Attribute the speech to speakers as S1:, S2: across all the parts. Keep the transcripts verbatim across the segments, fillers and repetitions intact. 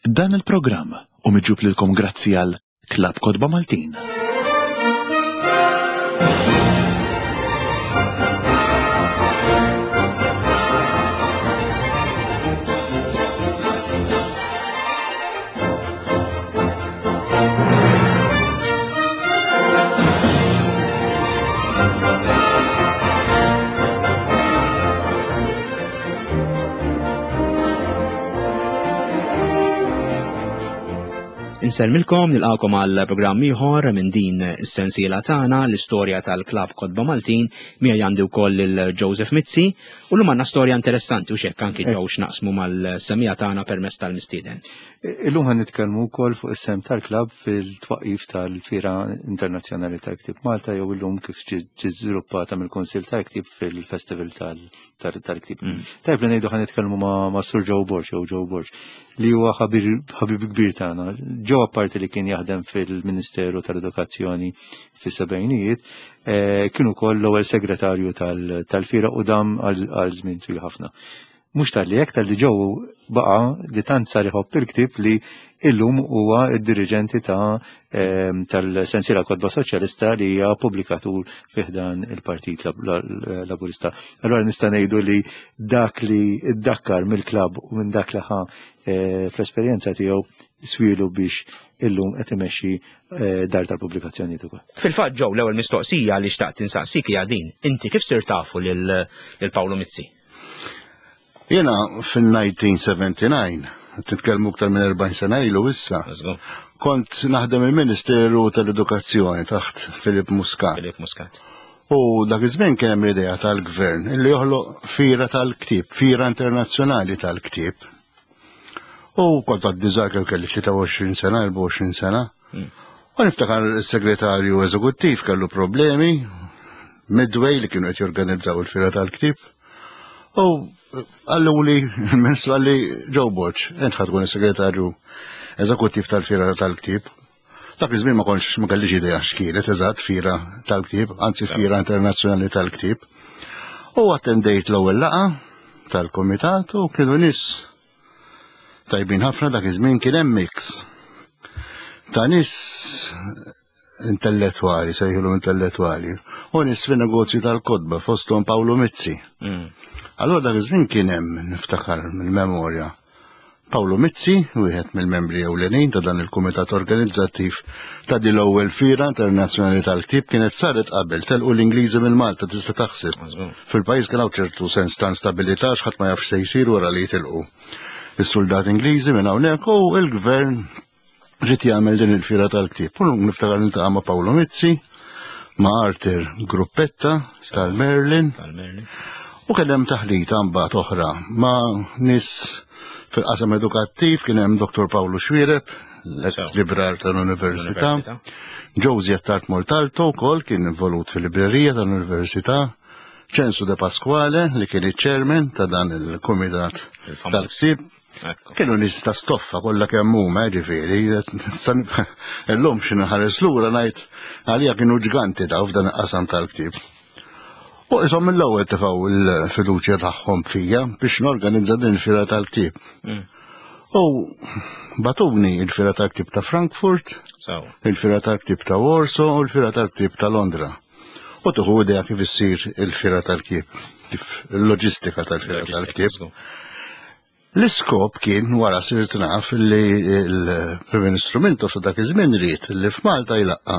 S1: Dan il-programm hu miġjub lilkom grazzi għal Klabb Kotba Maltin.
S2: Insellmilkom, nilqakom għal programm ieħor minn din is-sensiela tagħna l-istorja tal-Klabb Kotba Maltin, miegħi għandi wkoll lil Joseph Mizzi, u llum għandna storja interessanti u xekk anki ġew x'naqsmu mal-semija tagħna permezz tal-mistieden.
S3: Illum ħan nitkellmu wkoll fuq is-sem tal-klabb fil-twaqqif tal-Fiera Internazzjonali tal-Ktieb Malta jew illum kif ġiet żviluppata mill-Kunsill tal-Ktieb fil-Festival tal-Ktieb. Tajb li ngħidu ħan nitkellmu ma' Sur Joe Borg jew Joe Borg li huwa ħabib kbir tagħna. Joe apparti li kien jaħdem fil-Ministeru tal-Edukazzjoni fis-sebgħinijiet, kien ukoll l-ewwel segretarju tal-Fiera u dam għal żmien twil ħafna. Mhux tal-li hekk, tal-li Joe baqa' li tant sar iħobb il-ktieb li illum huwa d-diriġenti ta' tal-sensiela Kotba Soċjalista li hija pubblikatur fi ħdan il-Partit Laburista. Allora nista' ngħidu li dak li ddakkar mill-klabb u minn dak li ħa fl-esperjenza tiegħu swielu biex illum qed imexxi dar tal-pubblikazzjonijiet ukoll.
S2: Fil-fatt Joe, l-ewwel mistoqsija li xtaqt insaqsik hija din. Inti kif sirt tafu lil Paolo Mizzi?
S4: Jena fil-nineteen seventy-nine, titkellmu aktar minn erbgħin sena ilu issa, kont naħdem il-Ministeru tal-Edukazzjoni taħt Philip Muscat.
S2: Philip Muscat.
S4: U dak iż-żmien kien hemm idea tal-gvern illi joħloq fira tal-ktieb, fira internazzjonali tal-ktieb. U kont għaddi żgħar kemm kelli tlieta u għoxrin sena, erbgħa u għoxrin sena. U niftakar is-segretarju eżekuttiv kellu problemi Midway li kienu qed jorganizzaw il-fira tal-ktieb. U għallu li, il-ministru għalli Joe Borg, int ħa tkun is-segretarju eżekuttiv tal-fira tal-ktieb. Dak iż-żmien ma kontx, ma kellix idea x'kienet eżatt fira tal-ktieb, anzi fira internazzjonali tal-ktieb. U attendejt l-ewwel laqgħa tal-kumitat u kienu nies tajbin ħafna. Dak iż-żmien kien hemm mix ta' nies intellettwali, sejħilu intellettwali, u nies fin-negozju tal-kotba fosthom Paolo Mizzi. Allora dak iż-żmien kien hemm, niftakar mill-memorja, Paolo Mizzi, wieħed mill-membri ewlenin ta' dan il-kumitat organizzattiv ta' din l-ewwel fira internazzjonali tal-ktieb, kienet saret qabel telqu l-Ingliżi minn Malta, tista' taħseb. Fil-pajjiż kien hawn ċertu sens ta' instabilità x'ħadd ma jafx se jsir wara li jitilqu is-soldati Ingliżi minn hawnhekk, u l-gvern rid jagħmel din il-fira tal-ktieb. U niftakar niltaqa' ma' Paolo Mizzi, ma' Arthur Gruppetta tal-Merlin.
S2: Tal-Merlin.
S4: U kien hemm taħlita mbagħad oħra ma' nies fil-qasam edukattiv, kien hemm Doktor Paolo Xuereb, l-ex librar tal-Università, Josie Attard Montalto wkoll kien involut fil-librerija tal-Università, Ċensu De Pasquale li kien iċ-chairman ta' dan il-kumitat tal-ktieb. Kienu nies ta' stoffa kollha kemm huma, ġifieri, illum xi nħares lura ngħid għalija kienu ġganti daw f'dan il-qasam tal-ktieb. U isom mill-ewwel tefgħu l-fiduċja tagħhom fija biex norganizza din il-fira tal-ktieb. U batuni il-fira tal-ktieb ta' Frankfurt, il-fira tal-ktieb ta' Warsaw u l-fira tal-ktieb ta' Londra. U tuħu idea kif issir il-fira tal-ktieb, kif il-loġistika tal-fira tal-ktieb. L-iskop kien, wara sirt naf, li l-Prim Ministru Mintoff ta' dak iż-żmien ried li f'Malta jlaqqa'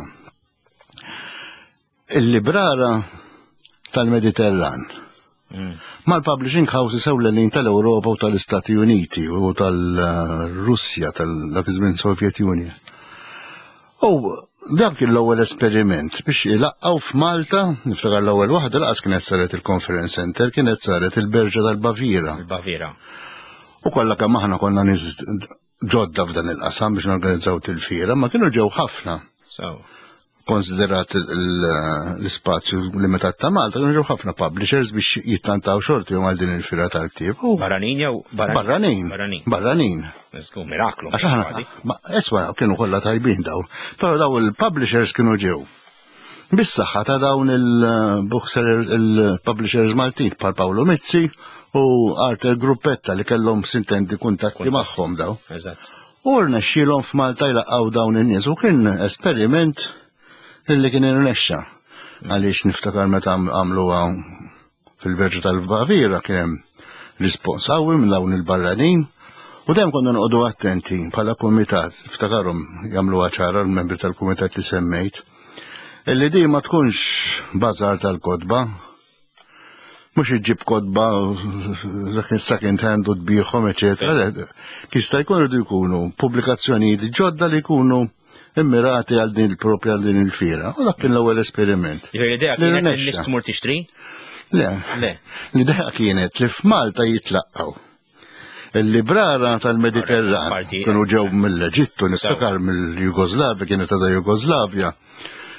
S4: il-librara tal-Mediterran mal-publishing houses ewlenin tal-Ewropa u tal-Istati Uniti u tal-Russja tal-dak iż-żmien Soviet Union. U dak kien l-ewwel esperiment biex ilaqqgħu f'Malta, niftakar l-ewwel waħda laqas kienet saret il-Conference Center, kienet saret il-Berġa tal-Baviera.
S2: Il-Baviera.
S4: U kollha kemm aħna konna nies ġodda f'dan il-qasam biex norganizzaw til-fiera, ma kienu ġew ħafna. Konsiderat l-ispazju limitat ta' Malta, kienu ġew ħafna publishers biex jittantaw xorti għal din il-fiera tal-ktieb. U
S2: Barranin jew barranin?
S4: Barranin.
S2: Barranin.
S4: Barranin.
S2: Żgur, miraklu,
S4: Għax aħna,
S2: kważi.
S4: ma, eswa, kienu kollha tajbin daw. Però daw il-publishers kienu ġew Bis-saħħa ta' dawn il-bookseller, il-publishers Maltin bħal Paolo Mizzi u Arthur Gruppetta li kellhom sintendi kuntatti magħhom daw.
S2: Eżatt.
S4: U rnexxielhom f'Malta jlaqgħu dawn in-nies u kien esperiment illi kien irnexxa. Għaliex niftakar meta għamluha fil-Verġu tal-Baviera kien hemm rispons qawwi minn dawn il-barranin u dejjem konna noqogħdu attenti bħala kumitat, iftakarhom jagħmluha ċara l-membri tal-kumitat li semmejt, illi di ma tkunx bażar tal-kotba, mhux iġġib kotba dak second hand u tbigħhom, eċetera. Jista' jkun irridu jkunu pubblikazzjonijiet ġodda li jkunu immirati għal din il-propja għal din il-fira. U dak kien l-ewwel esperiment.
S2: Jiġifieri l-idea
S4: Li
S2: kienet li
S4: rnexxa.
S2: n-nies tmur tixtri?
S4: Le.
S2: Le.
S4: L-idea kienet li f'Malta jitlaqgħu il-librara tal-Mediterran
S2: Parti-
S4: kienu ġew mill-Eġittu, niftakar mill-Jugoslavja, kienet għadha Jugoslavja,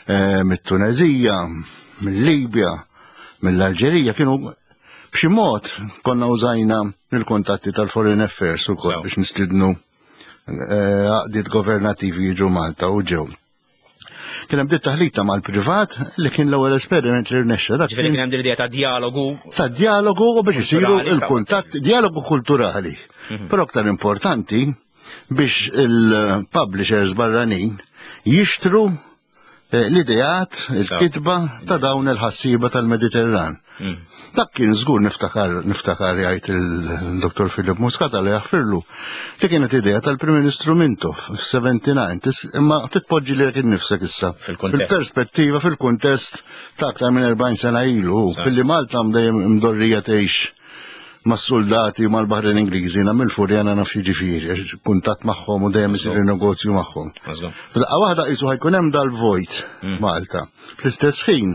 S4: eh, mit-Tunezija, mill-Libja, mill-Alġerija, kienu b'xi mod konna użajna il-kontatti tal-Foreign Affairs ukoll
S2: Sew.
S4: biex nistidnu eh, għaqdiet governativi jiġu Malta u ġew. Kien hemm taħlita mal-privat li kien l-ewwel esperiment li rnexxa. Dak
S2: Ġifieri
S4: kien
S2: kien hemm din l-idea ta' dialogu
S4: ta' dialogu u biex isiru
S2: Kulturali,
S4: il-kuntatt, dialogu kulturali. Però aktar importanti biex il-publishers barranin jixtru eh, l-ideat, il-kitba ta' dawn il-ħassiba tal-Mediterran. Dak kien żgur niftakar niftakar jgħid il-Dottor Philip Muscat għal jaħfirlu li kienet idea tal-Prim Ministru Mintoff f'sebgħa u sebgħin, tis- imma titpoġġi li innifsek issa
S2: Fil-kuntest.
S4: fil-perspettiva, fil-kuntest ta' aktar minn erbgħin sena ilu, billi Malta dejjem mdorrija tgħix mas-soldati u mal-Baħrin Ingliżi, na mill-Furjana naf jiġifieri, għax kuntatt magħhom u dejjem isir negozju magħhom.
S2: Mażgur.
S4: F'daqqa waħda qisu ħa jkun hemm dal-vojt Malta. Fl-istess ħin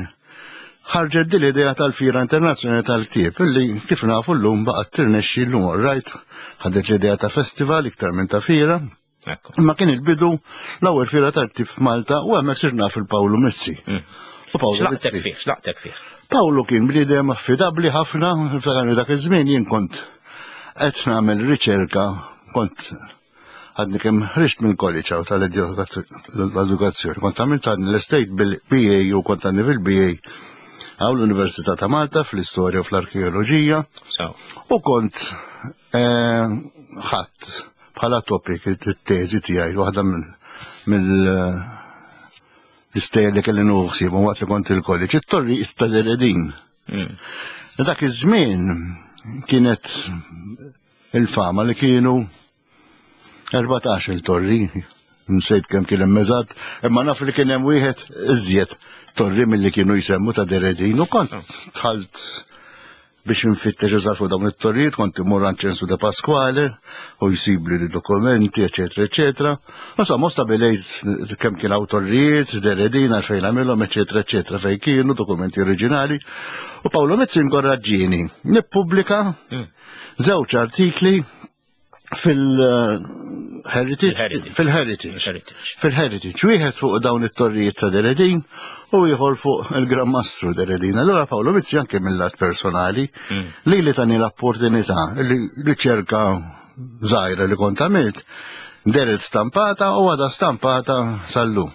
S4: ħarġet din l-idea tal-Fira Internazzjonali tal-Ktieb illi kif nafu llum baqgħet tirnexxi llum, rajt ħadet l-idea ta' festival iktar minn ta' fira.
S2: Ekku.
S4: Imma kien il-bidu l-ewwel fira tal-ktieb f'Malta u hemmhekk sirna fil-Pawlu Mizzi. U Pawlu
S2: X'laqtek
S4: Mizzi.
S2: fih, x'laqtek fih?
S4: Pawlu kien bniedem affidabbli ħafna, niftakar dak iż-żmien jien kont qed nagħmel riċerka, kont għadni kemm ħriġt minn college hawn tal-edukazzjoni, kont għamilt għadni l-estate bil-B A u kont għadni fil-B A hawn l-Università ta' Malta fl-istorja u fl-arkeoloġija
S2: So,
S4: u kont eh, ħadd bħala topic it-teżi tiegħi waħda mill mill l-istejjer li kelli nuħsib waqt li kont il-college, it-torri tal-Eredin.
S2: mm.
S4: Dak iż-żmien kienet il-fama li kienu erbatax il-torri, nsejt kemm kien hemm eżatt, imma naf li kien hemm wieħed iżjed torri milli kienu jsemmu ta' Deredin u kont dħalt biex nfittex eżatt fuq dawn it-torrijiet, kont imur għand Ċensu de Pasquale u jsibli li dokumenti, eċetera, eċetera. Insomma, stabilejt kemm kien hawn torrijiet, Deredin, għalfejn għamilhom, eċetera, eċetera, fejn kienu dokumenti oriġinali. U Paolo Mizzi inkoraġġieni nippubblika żewġ artikli fil-Heritage,
S2: Fil-Heritage.
S4: fil-Heritage.
S2: Heritage.
S4: Fil-Heritage, wieħed fuq dawn it-torrijiet ta' Deredin u ieħor fuq il-Gran Mastru Deredin. Allora Paolo Mizzi anke mill-lat personali li li tani l-opportunità li riċerka żgħira li kont għamilt deret stampata u għada stampata sal-lum.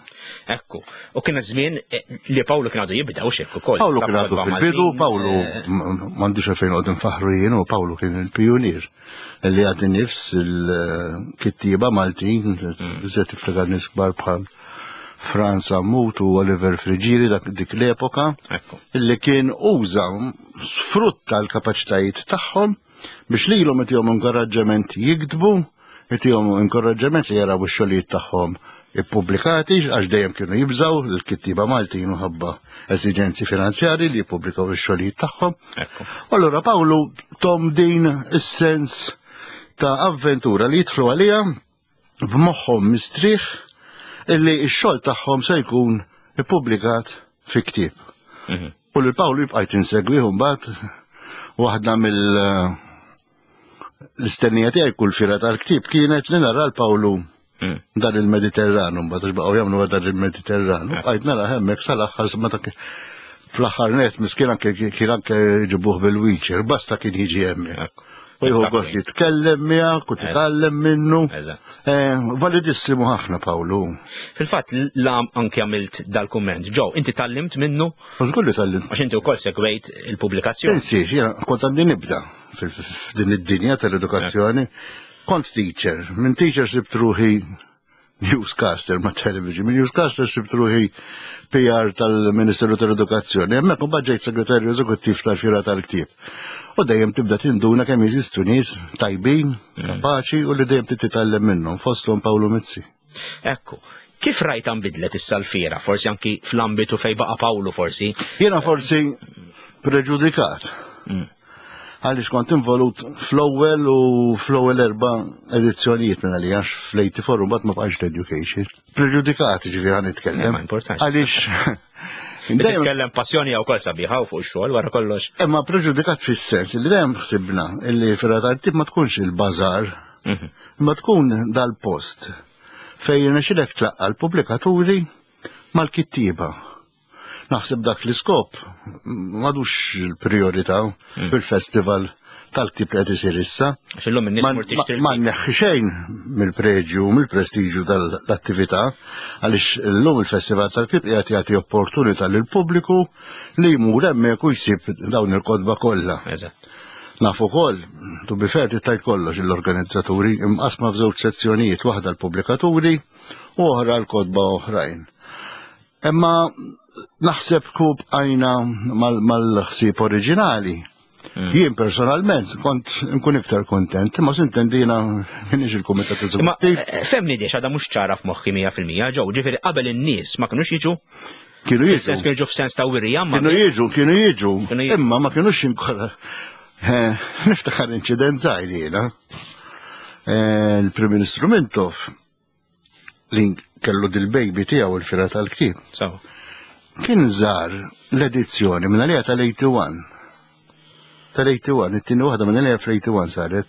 S2: Ekku. U kien żmien eh, li Pawlu kien għadu jibda u xek ukoll.
S4: Pawlu kien għadu fil-bidu, Pawlu m'għandix għalfejn għod nfaħru jien u Pawlu kien il-pionier li għad nifs il-kittieba Maltin, biżżejjed tiftakar nies kbar bħal Franz Sammut u Oliver Friggieri dak dik l-epoka,
S2: Ekku.
S4: illi kien uża sfrutta l-kapaċitajiet tagħhom biex lilhom itihom inkoraġġament jiktbu, itihom inkoraġġament li jaraw ix-xogħlijiet tagħhom ippubblikati, għax dejjem kienu jibżaw l-kittiba Maltin minħabba esiġenzi finanzjari li jippubblikaw ix-xogħlijiet tagħhom.
S2: Ekku.
S4: Allura Pawlu tahom din is-sens ta' avventura li jidħlu għalija b'moħħhom mistrieħ illi x-xogħol tagħhom se jkun ippubblikat fi ktieb.
S2: Mhm.
S4: U lil Pawlu jibqajt insegwih mbagħad waħda mill l-istennija tiegħi kull fira tal-ktieb kienet li nara l-Pawlu
S2: Mm.
S4: dan il-Mediterranu, mbagħad għax baqgħu jagħmlu dan il-Mediterranu. Bqajt nara hemmhekk sal-aħħar meta kien- fl-aħħar net miskin anke kien anke ġibuh bil-wheelchair, basta kien jiġi hemmhekk.
S2: Ekku.
S4: U jieħu gost jitkellem miegħek u titgħallem minnu. Eh, validissimu ħafna Pawlu.
S2: Fil-fatt lam anke għamilt dal-kumment. Ġo, inti tgħallimt minnu?
S4: Żgur li tgħallimt.
S2: Għax inti wkoll segwejt il-pubblikazzjoni.
S4: Insi, jiena kont għandi nibda f'din id-dinja tal-edukazzjoni. Kont teacher, minn teacher sibt ruħi newscaster ma' television, minn newscaster sibt ruħi P R tal-Ministeru tal-Edukazzjoni, hemmhekk imbagħad ġejt segretarju eżekuttiv tal-Fiera tal-Ktieb. U dejjem tibda tinduna kemm jeżistu nies tajbin, kapaċi u li dejjem titgħallem minnhom, fosthom Pawlu Mizzi.
S2: Ekku, kif rajt nbidlet issa l-fiera, forsi anki fl-ambitu fejn baqa' Pawlu forsi?
S4: Jiena forsi preġudikat. Għaliex kont involut fl-ewwel u fl-ewwel erba' edizzjonijiet minn għalija, għax fl-eighty-four u mbagħad ma bqax l-education. Preġudikat, ġifieri ħa nitkellem.
S2: Ma importanx.
S4: Għaliex
S2: Dejjem titkellem passjoni jew kol sabiħa u fuq ix-xogħol wara kollox.
S4: Imma preġudikat fis-sens li dejjem ħsibna li fiera tal-ktieb ma tkunx il-bażar, imma tkun dal-post fejn irnexxilek tlaqqa' l-pubblikaturi mal-kittieba. Naħseb dak l-iskop m'għadux il-priorità fil-festival tal-ktieb li qed isir issa.
S2: Għax illum in-nies
S4: Ma-
S2: mur tixtri
S4: ma-
S2: l-ktieb.
S4: Ma nneħħi xejn mill-preġju, mill-prestiġju tal-attività, għaliex illum il-festival tal-ktieb qiegħed jagħti opportunità lill-pubbliku li jmur hemmhekk u jsib dawn il-kotba kollha.
S2: Eżatt.
S4: Naf ukoll, to be fair, tittajt kollox l-organizzaturi imqasma f'żewġ sezzjonijiet, waħda l-pubblikaturi u oħra l-kotba oħrajn. Imma naħseb kub għajna mal-, mal-ħsieb oriġinali.
S2: Mm.
S4: Jien personalment kont nkun iktar kontent, imma s'intendina minix il-kumitat
S2: Imma,
S4: eżekuttiv.
S2: eh, femni diex għadha mhux ċara f'moħħi mija fil-mija, ġew, ġifieri qabel in-nies ma kinux jiġu?
S4: Kienu jiġu.
S2: Fis-sens kienu jiġu f'sens ta' wirja, ma
S4: Kienu jiġu, kienu jiġu,
S2: Kienu jiġu.
S4: imma ma kinux inkora. Eh, niftakar inċident żgħir jiena. Eh, il-Prim Ministru Mintoff li kellu dil-baby tiegħu il-fiera tal-ktieb.
S2: Sawa.
S4: Kien żar l-edizzjoni minn għalija tal-eighty-one. Tal-eighty-one, it-tieni waħda minn għalija fl-eighty-one saret,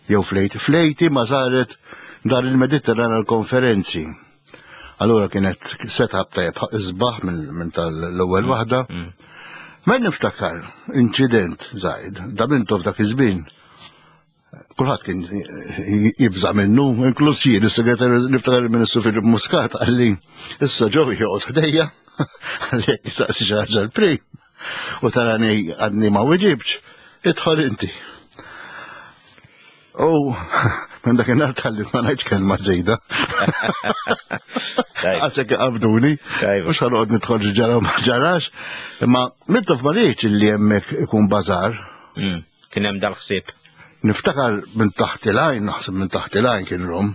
S4: jew fl-eighty, fl-eighty ma saret dar il-Mediterran għal-konferenzi. Allura kienet setup tajjeb isbaħ minn, minn tal-ewwel waħda.
S2: Mm.
S4: Ma niftakar inċident żgħir, da Mintoff dak iż-żmien. Kulħadd kien jibża' minnu, inkluż jien, is-segretarju niftakar il-Ministru Philip Muscat qalli issa ġew joqgħod ħdejja, qalli jekk jistaqsi xi ħaġa l-prim. U tarani għadni ma weġibx, idħol inti. U minn dak in-nhar talli ma ngħidx kelma żejda.
S2: Tajb.
S4: Għasek qabduni.
S2: Tajb.
S4: Mhux ħanoqgħod nidħol xi ġara u ma ġarax. Imma Mintoff ma rridx illi hemmhekk ikun bażar.
S2: Mm. Kien hemm dal-ħsieb.
S4: Niftakar minn taħt il-għajn, naħseb minn taħt il-għajn kien rom.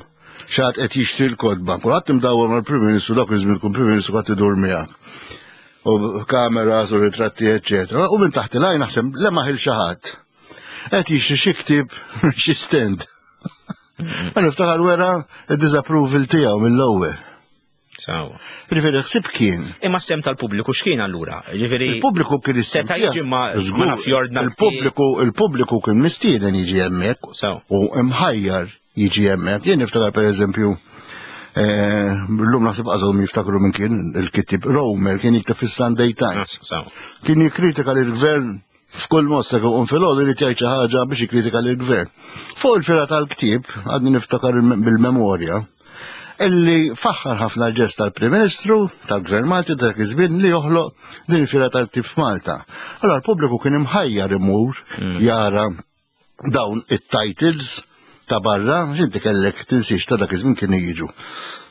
S4: Xi ħadd qed jixtri l-kotba. Kulħadd imdawwar mal-Prim Ministru, dak iż-żmien kun Prim Ministru qatt idur miegħek. U kameras u ritratti, eċċetera. U minn taħt il-għajn naħseb lemaħ il xi ħadd. Qed jixtri xi ktieb minn xi stand. Ma niftakar wera id-disapproval tiegħu mill-ewwel.
S2: Sawa.
S4: Ġifieri ħsieb kien.
S2: Imma s-sem tal-pubbliku x'kien allura? Ġifieri
S4: Il-pubbliku kien is-sem
S2: Seta'
S4: tiegħu.
S2: jiġi ma ma
S4: Żgur,
S2: nafx jordna l-ktieb.
S4: Il-pubbliku, il-pubbliku kien mistieden jiġi hemmhekk
S2: Sawa.
S4: u imħajjar jiġi hemmhekk. Jien niftakar pereżempju, eh, llum naħseb għażhom jiftakru minn kien il-kittieb Romer kien jikteb fis-Sunday Times.
S2: Ah, sawa.
S4: Kien jikkritika lill-gvern f'kull mossa kif qum filgħodu irid jgħid xi ħaġa biex jikkritika lill-gvern. Fuq il-fiera tal-ktieb, għadni niftakar il-, bil-memorja, illi faħħar ħafna l-ġest tal-Prim Ministru, tal-Gvern Malti dak iż-żmien li joħloq din il-fiera tal-ktieb f'Malta. Allora l-pubbliku kien imħajjar imur
S2: Mm.
S4: jara dawn it-titles ta' barra, inti kellek tinsiex ta' dak iż-żmien kienu jiġu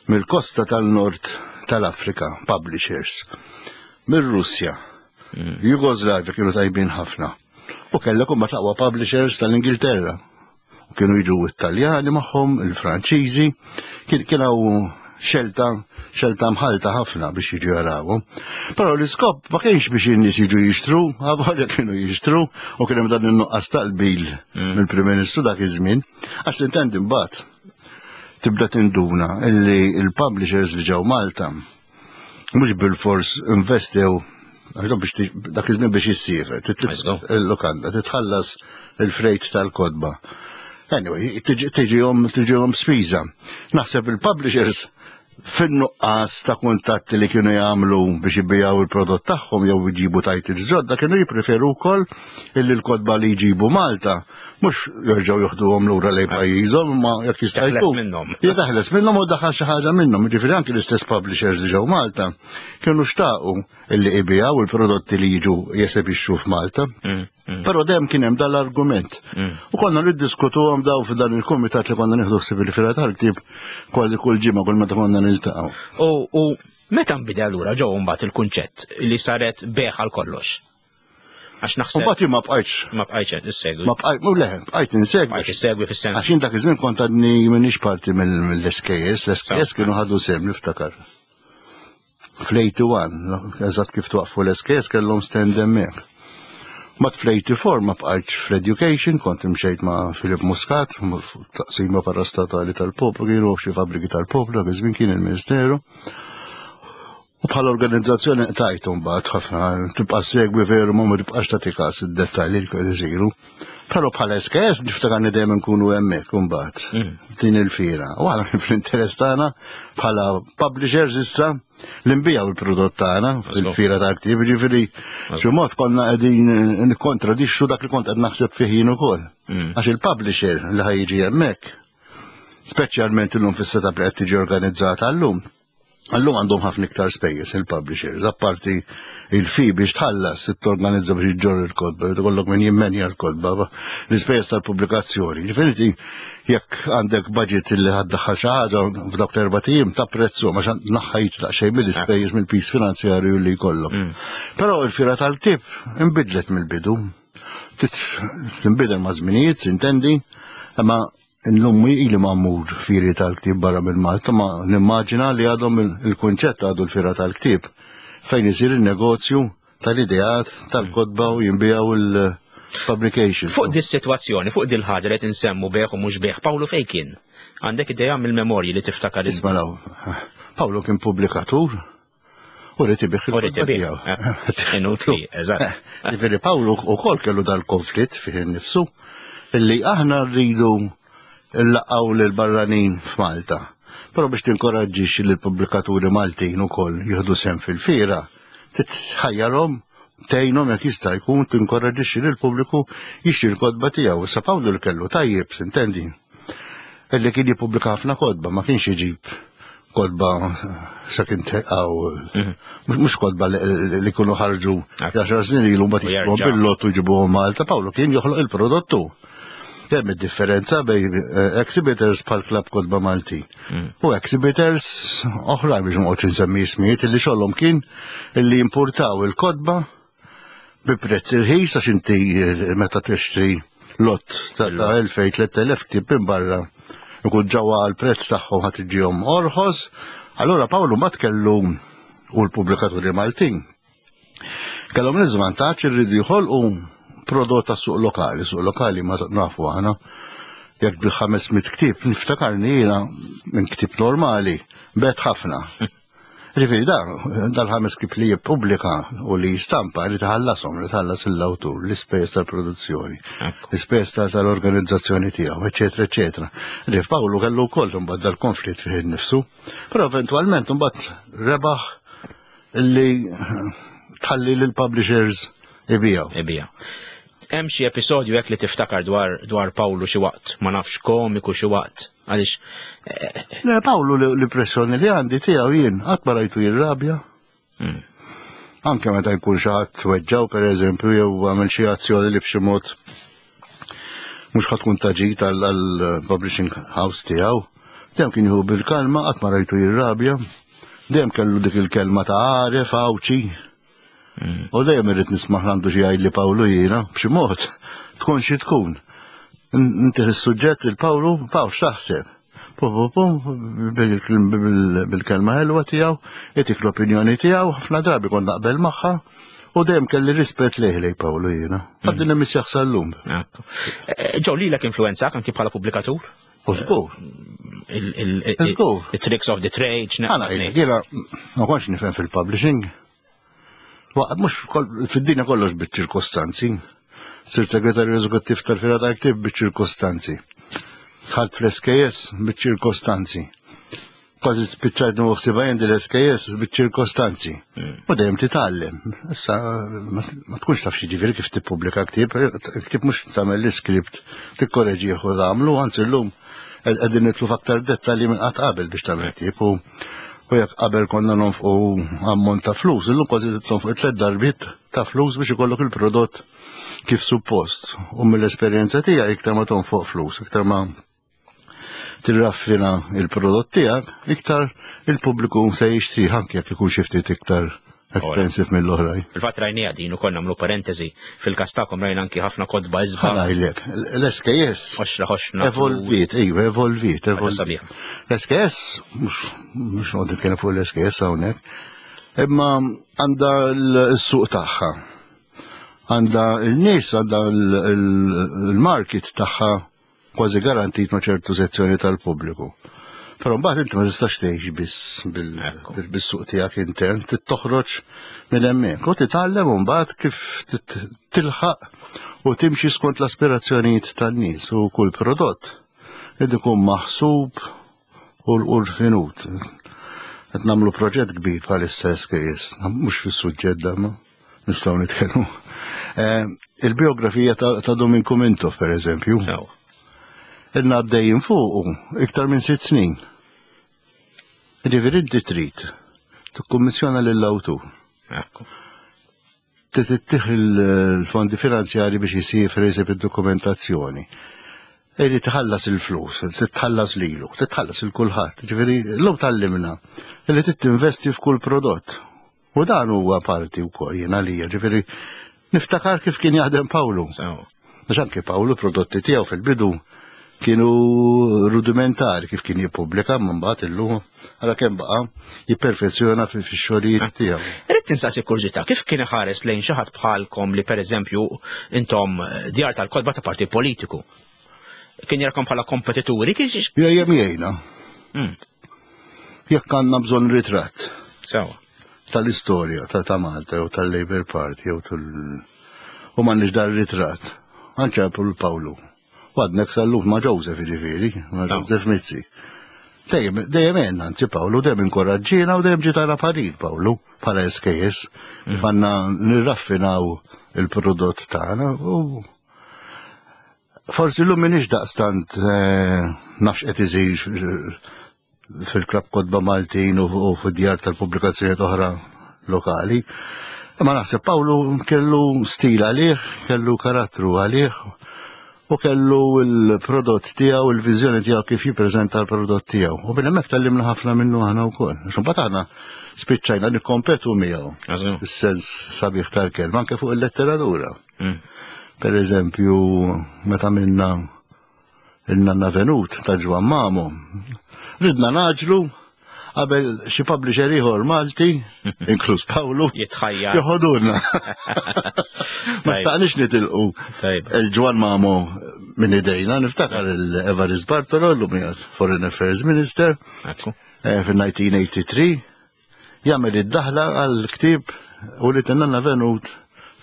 S4: mill-kosta tal-Nord tal-Afrika, publishers, mir-Russja,
S2: Mm.
S4: Jugoslavia kienu tajbin ħafna. U kellek huma taqwa publishers tal-Ingilterra. U kienu jiġu Italjani magħhom, il-Franċiżi, kien, kien hawn xelta, xelta mħalta ħafna biex jiġu jarawhom. Però l-iskop ma kienx biex in-nies jiġu jixtru, għavolja kienu jixtru, u kien hemm dan in-nuqqas tal-qbil
S2: Mm.
S4: mill-Prim Ministru dak iż-żmien. Għax tintendi mbagħad tibda tinduna illi il-publishers li ġew Malta mhux bil-fors investew għax biex ti-, dak iż-żmien biex issiefer, tit-,
S2: Let's go.
S4: il-lokanda, titħallas il-frejt tal-kotba. Anyway, tiġi, tiġihom, tiġihom spiża. Naħseb il-publishers Fin-nuqqas ta' kuntatti li kienu jagħmlu biex ibijaw il-prodott tagħhom jew jġibu titles ġodda, kienu jippreferu wkoll illi l-kotba li jġibu Malta mhux jerġgħu joħduhom lura lejn pajjiżhom, imma jekk jista'
S2: Teħles
S4: jkun.
S2: minnhom.
S4: Jitaħles minnhom u daħal xi ħaġa minnhom. Jiġifieri anki l-istess publishers li ġew Malta kienu xtaqu illi ibijaw il-prodotti li jiġu jesebixxu f'Malta.
S2: Mm, mm.
S4: Però dejjem kien hemm dal-argument. U konna niddiskutuhom daw f'dan il-kumitat li konna nieħdu ħsieb il-fira tal-ktieb kważi kull ġimgħa kull meta konna niltaqgħu.
S2: U, u meta nbidel allura ġew mbagħad il-kunċett li saret beħ għal kollox? Għax
S4: U
S2: naħseb
S4: mbagħad jien ma bqajtx
S2: ma bqajtx issegwi.
S4: ma bqajt mu le, bqajt insegwi.
S2: Bqajtx issegwi fis-sens.
S4: Għax jien dak iż-żmien kont għadni m'iniex parti mill-S K S, l-S K S kienu ħadu sehem niftakar. Fl-eighty-one, eżatt kif twaqfu l-S K S kellhom stand hemmhekk. Mat fl-eighty-four ma bqajtx fl-education, kont imxejt ma' Philip Muscat, taqsima parastatali tal-poplu, kienu xi fabbriki tal-poplu, dak iż-żmien kien il-Ministeru. U bħala organizzazzjoni qtajtu mbagħad ħafna, tibqa' segwi veru ma ma tibqax tagħti każ id-dettalji li kienu isiru. Però bħala S K S niftakarni dejjem nkunu hemmhekk imbagħad din il-fira. U aħna kien fl-interess tagħna bħala publishers issa li nbijaw il-prodott tagħna fil-fira ta' ktieb, ġifieri xi mod konna qegħdin nikkontradixxu dak li kont qed naħseb fih jien ukoll. Għax il-publisher li ħa jiġi hemmhekk, speċjalment illum fis-setup li qed tiġi organizzata llum, Allum għandhom ħafna iktar spejjeż il-publishers, apparti il-fee biex tħallas, torganizza biex iġġorr il-kotba, irid ikollok min jimmenja l-kotba, l-ispejjeż tal-pubblikazzjoni. Ġifieri jekk għandek budget li ħa ddaħħal xi ħaġa f'dawk l-erbat ijiem ta' prezzu ma naħħajt daqsxejn mill-ispejjeż mill-piż finanzjarju li jkollok. Però il-fira tal-ktieb inbidlet mill-bidu. Tinbidel ma' żminijiet, sintendi, imma illum ili ma mmur firi tal-ktieb barra minn Malta, ma nimmaġina li għadhom il-kunċett għadu l-fira tal-ktieb fejn isir il-negozju tal-ideat, tal-kotba u jinbijaw il-publication.
S2: Fuq dis situazzjoni, fuq dil ħaġa li qed insemmu beħ u mhux beħ, Pawlu fejn kien? Għandek idea mill-memorji li tiftakar inti?
S4: Isma' Pawlu kien pubblikatur u ried ibigħ
S2: U ried
S4: il-kotba
S2: ibigħ,
S4: tiegħu.
S2: eh, inutli, eżatt.
S4: Ġifieri Pawlu wkoll kellu dal-konflitt fih innifsu illi aħna rridu nlaqqgħu lil barranin f'Malta. Però biex tinkoraġġixxi lill pubblikaturi Maltin ukoll jieħdu sehem fil-fira, titħajjarhom tgħinhom jekk jista' jkun tinkoraġġixxi lill pubbliku jixtri l-kotba tiegħu. Issa Pawlu li kellu tajjeb, sintendi. Illi kien jippubblika ħafna kotba, ma kienx iġib kotba sa kien teqaw, mhux kotba li li kienu ħarġu għaxar snin ilu mbagħad
S2: U
S4: jixtruhom
S2: jerġa'.
S4: bil-lottu jġibuhom Malta. Pawlu kien joħloq il-prodottu. Hemm id-differenza bejn eh, exhibitors bħal Club Kotba Malti u exhibitors oħra biex ma noqgħodx insemmi ismijiet illi xogħolhom kien illi importaw il-kotba bi prezz irħis għax inti eh, meta tixtri lot ta' ta' elfejn tliet elef ktieb minn barra ikun ġewwa għal prezz tagħhom ħadd iġihom orħos. Allura Pawlu ma kellu u l-pubblikaturi Maltin kellhom l-iżvantaġġ irridu jħolqu prodott tas suq lokali, suq lokali ma nafu aħna jekk bil ħames mitt ktieb niftakarni jiena minn ktieb normali bet ħafna. Ġifieri da, dal-ħames ktieb li jippubblika u li jistampa li tħallasom, li tħallas l-awtur, l-ispejjeż tal-produzzjoni,
S2: Ekku.
S4: l-ispejjeż tal- tal-organizzazzjoni tiegħu, eċetera, eċetera. Rif Pawlu kellu wkoll imbagħad dal-konflitt fih innifsu, però eventwalment imbagħad rebaħ illi tħalli lill-publishers ibijaw.
S2: Ibija. Hemm xi episodju hekk li tiftakar dwar dwar Pawlu xi waqt, ma nafx komiku xi waqt, għaliex
S4: Le, Pawlu l-impressjoni li għandi tiegħu jien qatt ma rajtu jirrabja. Anke meta jkun xi ħadd weġġaw pereżempju jew għamel xi azzjoni li b'xi mod mhux ħa tkun taġit għall-publishing house tiegħu. Dejjem kien jieħu bil-kalma, qatt ma rajtu jirrabja. Dejjem kellu dik il-kelma ta' għaref, għawċi. U dejjem irrid nisma' għandu xi jgħid li Pawlu jiena b'xi mod tkun xi tkun. Inti is-suġġett il-Pawlu, Pawl x'taħseb? Pum, pum, pum, bil- bil- bil-kelma ħelwa tiegħu, itik l-opinjoni tiegħu, ħafna drabi kont naqbel magħha, u dejjem kelli rispett lejh lej Pawlu jiena. Għaddin hemm sal-lum.
S2: Ekku. Eh, Ġew lilek influenzak anki bħala pubblikatur?
S4: U żgur.
S2: Il- il- il-
S4: Żgur.
S2: Il-tricks of the trade,
S4: Għana, jiena ma kontx nifhem fil-publishing. Wa- Mhux kol- fid-dinja kollox bit-ċirkostanzi. Sirt segretarju eżekuttiv tal-Fira tal-Ktieb bit-ċirkostanzi. Dħalt fl-S K S bit-ċirkostanzi. Kważi spiċċajt nħossibha jien l-S K S biċ-ċirkostanzi. U dejjem titgħallem. Issa ma ma tkunx taf xi, kif tippubblika ktieb, ktieb mhux tagħmel l-iskript, tikkoreġih u tagħmlu, anzi llum qegħdin nidħlu f'aktar dettalji minn qatt qabel biex tagħmel ktieb, u u jekk qabel konna nonfqu ammont ta' flus, illum kważi tonfqu tliet darbiet ta' flus biex ikollok il-prodott kif suppost. U mill-esperjenza tiegħi, iktar ma tonfoq flus, iktar ma tirraffina il-prodott tiegħek, iktar il-pubbliku se jixtri, anke jekk ikun xi ftit iktar expensive mill-oħrajn.
S2: Fil-fatt rajnija din ukoll, nagħmlu parentesi, fil-każ tagħkom rajna anki ħafna kotba isbaħ.
S4: Ħa ngħidlek, l-S K S
S2: Oxra ħoxna.
S4: evolvit, ejwa, evolvit, evolvit.
S2: Sabiħa.
S4: L-S K S, mhux noqgħod nitkellem fuq l-S K S hawnhekk, imma għandha l-suq tagħha. Għandha l-nies, għandha l-market tagħha kważi garantit ma' ċertu sezzjoni tal-pubbliku. Però mbagħad inti ma tistax tgħix biss bil-
S2: Ekku.
S4: bil- bis-suq tiegħek intern, trid toħroġ minn hemmhekk u titgħallem mbagħad kif tit- tilħaq u timxi skont l-aspirazzjonijiet tan-nies, u kull prodott irid ikun maħsub u l-finut. Qed nagħmlu proġett kbir bħalissa S K S, mhux fis-suġġett da ma nistgħu nitkellmu. Eh, Il-biografija ta' ta' Duminku Mintoff, per eżempju,
S2: Sew.
S4: ilna għaddejjin fuqu iktar minn sitt snin. Ġifieri inti trid tikkummissjona lill-awtur.
S2: Ekku.
S4: Tittih il-fondi finanzjari biex jisifri, jisib id-dokumentazzjoni. Eri tħallas il-flus, titħallas lilu, titħallas il-kulħadd. Ġifieri l-lum tgħallimna li tinvesti f'kull prodott. U dan huwa parti wkoll jien għalija, ġifieri niftakar kif kien jaħdem Pawlu.
S2: Sew.
S4: Għax anke Pawlu, prodotti tiegħu fil-bidu kienu rudimentari kif kien jippubblika, minn mbagħad illum għala kemm baqa' jipperfezzjona fi fix-xogħlijiet tiegħu.
S2: Irrid tinsaqsi kurżità, kif kien iħares lejn xi ħadd bħalkom li, pereżempju, intom eh, djar tal-kotba ta' partit politiku? Kien jarakom bħala kompetituri, kien xi-
S4: Dejjem jgħinna.
S2: Mm.
S4: Jekk għandna bżonn ritratt
S2: Sewa.
S4: tal-istorja ta' ta' Malta jew tal-Labour Party jew tal u m'għandniex dar ritratt, għanċarpu l-Pawlu. Għadnek sal-lum ma' Joseph, jiġifieri, ma'
S2: No.
S4: Joseph Mizzi. Dejjem dejjem għenna, anzi Pawlu dejjem inkoraġġina u dejjem ġitana parir Pawlu bħala S K S. Fanna nirraffinaw il-prodott tagħna u forsi l-lum minix daqstant eh, nafx qed isir fil-Klabb Kotba Maltin u u fid-djar tal-pubblikazzjonijiet oħra lokali. Ma naħseb Pawlu kellu stil għalih, kellu karattru għalih u kellu il-prodott tiegħu, il-viżjoni tiegħu kif jippreżenta l-prodott tiegħu. U minn hemmhekk tgħallimna ħafna minnu aħna wkoll. Għax imbagħad aħna spiċċajna nikkompetu miegħu.
S2: Għażu.
S4: Is-sens sabiħ tal-kelma anke fuq il-letteratura.
S2: Mm.
S4: Per eżempju, meta minna il-Nanna Venut ta' Ġwan Mamo, ridna ngħaġġlu qabel xi publisher ieħor Malti, inkluż Pawlu,
S2: Jitħajjar.
S4: joħodulna. Ma xtaqniex nitilqu
S2: Tajb.
S4: il-Ġwan Mamo minn idejna, niftakar il-Evarist Bartolo, l-lum qiegħed Foreign Affairs Minister,
S2: Ekku.
S4: eh, fil-elf disa' mija tmienja u tmenin, jagħmel id-daħla għal-ktieb u li Nanna Venut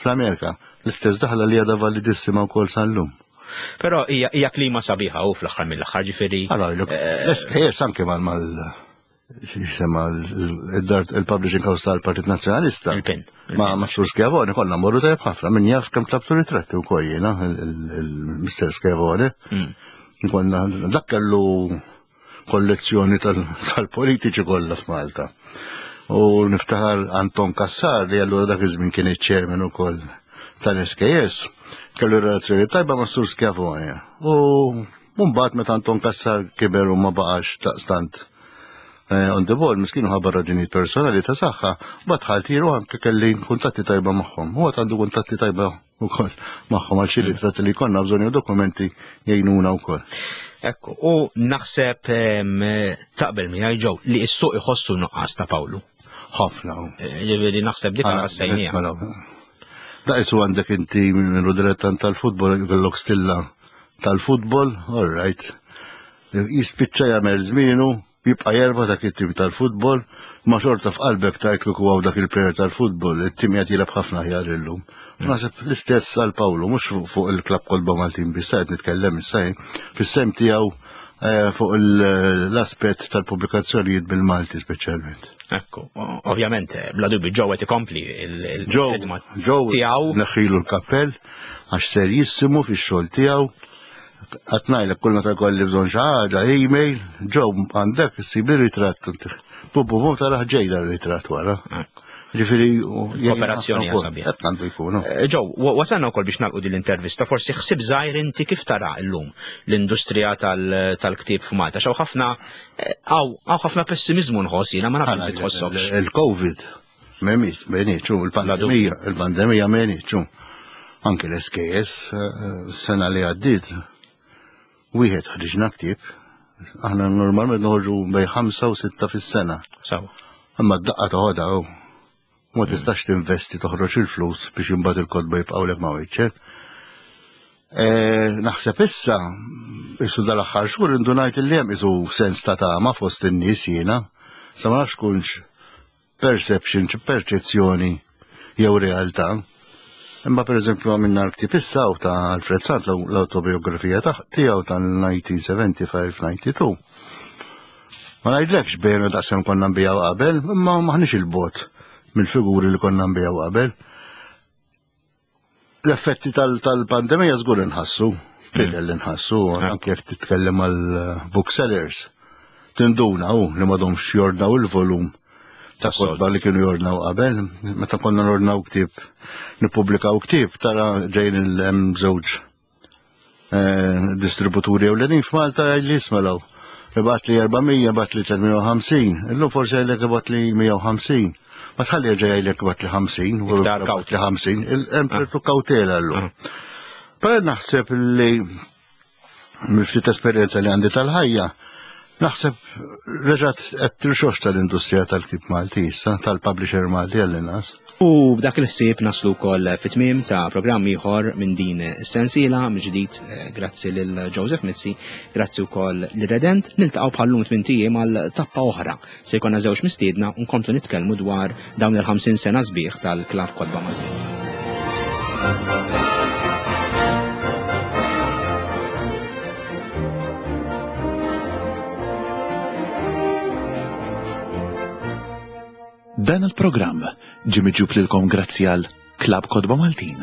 S4: fl-Amerika. L-istess daħla li għadha validissima wkoll sal-lum.
S2: Però hija hija klima sabiħa u fl-aħħar mill-aħħar, ġifieri.
S4: Għara, l-S K S anke mal mal xisema il-dar il-Publishing House tal-Partit Nazzjonalista.
S2: Il-PIN.
S4: Ma ma Sur Schiavone konna morru tajb ħafna, min jaf kemm tlabtu ritratti u jiena, il-Mister Schiavone.
S2: Mm.
S4: Konna dak kellu kollezzjoni tal- tal-politiċi kollha f'Malta. U niftaħar Anton Cassar, li allura dak iż-żmien kien iċ-chairman ukoll tal-S K S, kellu relazzjoni tajba ma' Sur Schiavone. U mbagħad meta Anton Cassar kiber u ma baqax taqstant eh, on the ball, miskinu, ħabba raġunijiet personali ta' saħħa, mbagħad ħaltiru, anke kelli kuntatti tajba magħhom. U għad għandu kuntatti tajba wkoll magħhom għal xi ritratti li konna bżonn jew dokumenti, jgħinuna wkoll.
S2: Ekku, u naħseb em, taqbel miegħi ġew li s-suq iħossu nuqqas ta' Pawlu.
S4: Ħafna.
S2: Eh, Ġifieri naħseb dik ħassejnija.
S4: Mela, da isu għandek inti minn dilettant tal-futbol, kellok stilla tal-futbol, all right. Jispiċċa jagħmel żmienu, jibqa' jerba dak it-tim tal-futbol, ma xorta f'qalbek tajtlu għaw dak il-player tal-futbol, it-tim qed jilgħab ħafna aħjar illum. Naħseb l-istess għal Pawlu, mhux fuq- fuq il-Klabb Kotba Maltin biss qed nitkellem issa jien, fis-sem tiegħu eh, fuq l-aspett tal-pubblikazzjonijiet bil-Malti speċjalment.
S2: Ekku, ovvjament, bla dubju Joe qed ikompli il-ħidma tiegħu.
S4: Neħħilu l-kappell għax serjissimu fix-xogħol tiegħu. Qed ngħidlek kull meta jkolli bżonn xi ħaġa, email, Joe għandek issib ritratt. Bu bu bu taraħ ġej dar-ritratt wara. Ġifieri
S2: kooperazzjoni sabiħa.
S4: Qed għandu jkunu.
S2: Joe, wasalna wkoll biex nagħlqu din l-intervista, forsi ħsieb żgħir inti kif tara llum l-industrija tal-ktieb f'Malta. X'hawn ħafna hawn ħafna pessimiżmu nħoss jiena, ma nafx inti tħossokx.
S4: Il-Covid m'hemmx, m'għenitx, il-pandemija, il-pandemija m'għenitx. Anke l-S K S sena li għaddiet wieħed ħriġna ktieb, aħna normalment noħorġu bejn ħamsa u sitta fis-sena.
S2: Sawa.
S4: Imma d-daqqa toħodha hu. Ma tistax tinvesti toħroġ il-flus biex imbagħad il-kotba jibqgħulek ma' wiċċek. Naħseb issa, isu dal-aħħar xhur indunajt li hemm isu sens ta' tama fost in-nies jiena. Sa ma nafx kunx perception, perċezzjoni jew realtà. Imma pereżempju għamilna l-ktieb issa u ta' Alfred Sant l-autobiografija tiegħu tal-nineteen seventy-five ninety-two. Ma ngħidlekx bejna daqshemm konna nbijaw qabel, imma maħniex il-bot mill-figuri li konna nbijaw qabel. L-effetti tal-pandemija żgur inħassu, bidel inħassu, anke jekk titkellem għal booksellers. Tinduna hu li m'għadhomx jordnaw il-volum ta' kotba li kienu jordnaw qabel. Meta konna nordnaw ktieb, nippubblikaw ktieb, tara ġejn il-hemm żewġ distributuri ewlenin f'Malta jgħid li ismelaw. Ibat li erbamija, ibat li tliet mija u ħamsin, illum forsi jgħidlek ibat li mija u ħamsin. Ma tħalli jerġa' jgħidlek ibat li ħamsin, u
S2: Iktar
S4: ibat li
S2: kawtela.
S4: ħamsin, hemm ċertu kawtela llum. Però naħseb li mill-ftit esperjenza li għandi tal-ħajja, naħseb reġgħet qed tirxox tal-industrija tal-ktieb Malti issa, tal-publisher Malti għall-inqas.
S2: U b'dak il-ħsieb naslu wkoll fit-tmiem ta' programm ieħor minn din is-sensiela mill-ġdid, grazzi lil Joseph Mizzi, grazzi wkoll lil Redent, niltaqgħu bħallum tmien ijiem għal tappa oħra. Se jkollna żewġ mistiedna u nkomplu nitkellmu dwar dawn il-ħamsin sena sbieħ tal-Klabb Kotba Malti.
S1: Dan il-programm ġie miġjub lilkom grazzi għal Klabb Kotba Maltin.